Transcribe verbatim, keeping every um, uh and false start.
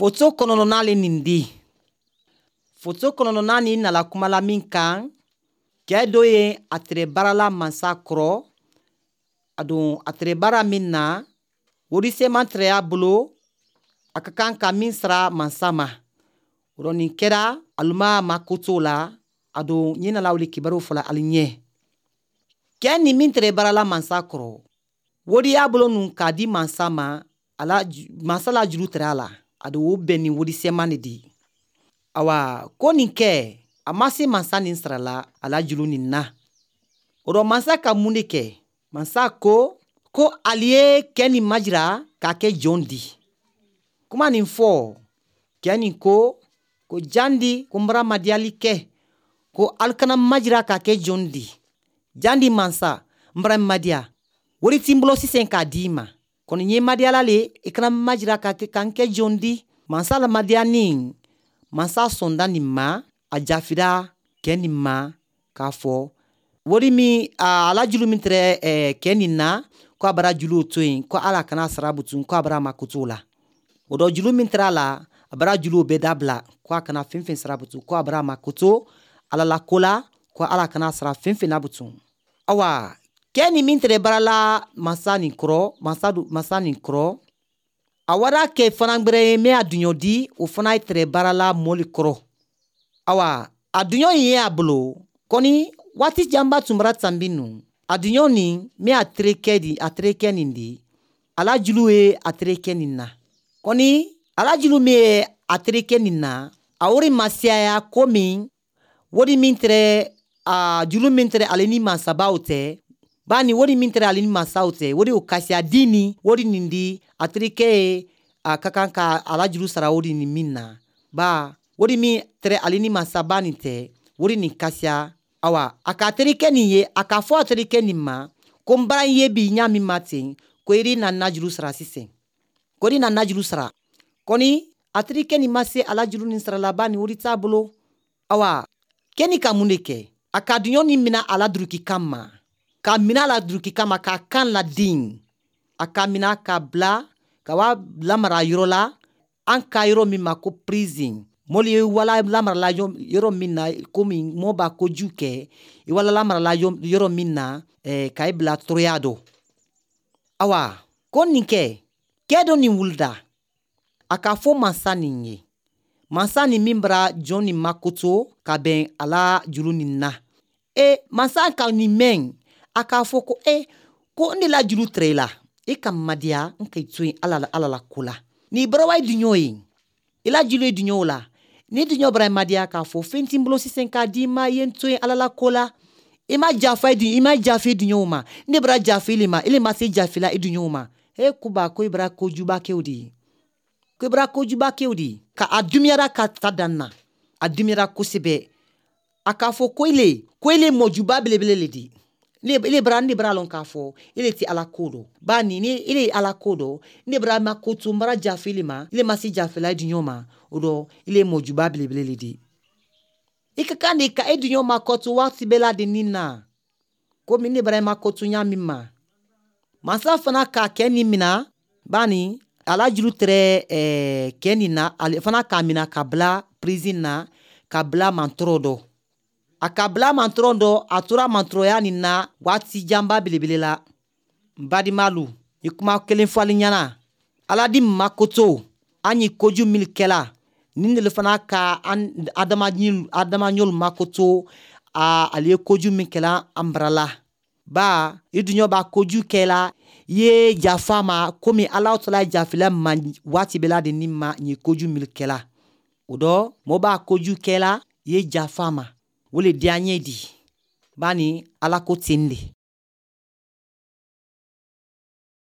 Foto kɔnɔnɔna le nin di. Foto kɔnɔnɔna nin nala kuma la min kan, kɛ dɔ ye a tere baara la mansa kɔrɔ, a don a tere baara min na, wariseman tere y'a bolo, a ka kan ka min sara mansa ma. O rɔ nin kɛra aluma ma ko t'o la, a don n ye nala wuli kibaru fɔla ali ɲɛ. Kɛ nin min tere baara la mansa kɔrɔ, wari y'a bolo nun k'a di mansa ma, a la mansa la juru tere a la, a don o bɛn ni wariseman de di. Awa ko nin kɛ, a ma se mansa nin sara la a la juru nin na. O rɔ mansa ka mun de kɛ? Mansa ko ko ali ye kɛ nin majira k'a kɛ jɔn di. Kuma nin fɔ, kɛ nin ko ko jandi ko n bara madiyali kɛ, ko ali kana majira k'a kɛ jɔn di. Jandi mansa, n bara madiya. Wari ti n bolo sisan k'a d'i ma. Kɔni n ye madiyala le, i kana majira k'a kɛ ka n kɛ jɔn di. Mansa la madiya nin, mansa sɔnda nin ma, a jafira kɛ nin ma k'a fɔ wari min a la juru min tɛrɛ eh, kɛ nin na, ko a bara juru to yen, ko ala kana sara butun, ko a bara mako t'o la. O dɔ juru min tɛrɛ a la, a bara juru bɛɛ dabila, ko a kana fɛn fɛn sara butun, ko a bara mako to ala la ko la, ko ala kana sara fɛn fɛn na butun. Awa kɛ nin min tɛrɛ baara la mansa nin kɔrɔ, mansa du, mansa nin kɔrɔ, a wara kɛ fana gbɛrɛ ye min a duɲɔ di, o fana ye tɛrɛ baara la mɔli kɔrɔ. Awa a duɲɔ in ye a bolo, kɔni waati janba tun bara tanbi nu, a duɲɔ nin min a terikɛ di, a terikɛ nin di, a la julu ye a terikɛ nin na. Kɔni a la julu min ye a terikɛ nin na, a wari ma siyaya komi wari min tɛrɛ a julu min tɛrɛ ale ni mansabaw tɛ, bani wari min tɛrɛ ale ni mansaw tɛ, wari o kasiya di ni wari nin di a terikɛ ye a ka kan ka a la juru sara wari nin min na. Ba wari min tɛrɛ ale ni mansaba nin tɛ, wari nin kasiya. Awa a ka terikɛ nin ye, a k'a fɔ a terikɛ nin ma ko n bara ye bi ɲa min ma ten, ko i na na juru sara sisan, ko i na na juru sara. Kɔni a terikɛ nin ma se a la juru nin sara laban ni wari t'a bolo. Awa kɛni ka mun de kɛ? A ka duɲɔ nin mina a la duruki kama, ka mina a la duruki kama k'a kan ladin, a ka mina ka bila ka wa lamara yɔrɔ la, an ka yɔrɔ min ma ko prison. Mɔli ye wala lamarala yɔrɔ min na, komi mɔ b'a kojugu kɛ, i wala lamarala yɔrɔ min na, eh, ka i bila tɔɔrɔya dɔ. Awa ko nin kɛ, kɛ dɔ nin wulida, a k'a fɔ mansa nin ye. Mansa nin min bara jɔn nin makoto ka bɛn a la juru nin na. E mansa ka nin mɛn, a k'a fɔ ko e ko n de la juru tɛrɛ i la, e ka madiya n k'i to yen ala la, ala la ko la. N'i bɔra wa duɲɔ ye, i la juru ye duɲɔ la. Ni duɲɔ bara madiya k'a fɔ fɛn t'i bolo sisan k'a d'i ma, i ye n to yen ala la ko la. I ma jafa i ma jafe i duɲɔw ma. Ne bara jafe ile ma, ile ma se jafe la i duɲɔw ma. E kuba ko i bara kojuba kɛ o de ye. Ko i bara kojuba kɛ o de ye. Ka a dumuyara ka taa dan na. A dumuyara kosɛbɛ. A k'a fɔ ko ile, ko ile mɔjuba belebele le di. Ile bara ne bara lɔn k'a fɔ ile ti ala ko dɔn. Ba ni ni ile ye ala ko dɔn, ne bara ma ko to n bara jafe ile ma, ile ma se jafe la i duɲɔ ma. O dɔ ile ye mɔjuba belebele le di. I ka kan de ka e duɲɔ ma kɔtu waati bɛɛ la de nin na. Komi ne bara ma kɔtu ɲa min ma. Mansa fana k'a kɛ nin mina, bani a la juru tɛrɛ eh, kɛ nin na, ale fana k'a mina ka bila prison na, ka bila mantɔrɔ dɔ. A ka bila mantɔrɔ dɔ, a tora mantɔrɔya nin na waati janba belebele la. N badimalu, ni kuma kelen fɔ ali ɲɛna. Ala di makoto, an ye koju min kɛla, nin de fana ka an adamaɲi adamaɲɔlu makoto, a ale ye koju min kɛla an bara la. Ba i duɲɔ b'a koju kɛla, i ye jafa ma komi Ala tala jafila ma waati bɛɛ la de ni ma nin koju min kɛla. O dɔ mɔɔ b'a koju kɛla, i ye jafa ma. O le diya n ye di. Bani ala ko ten de.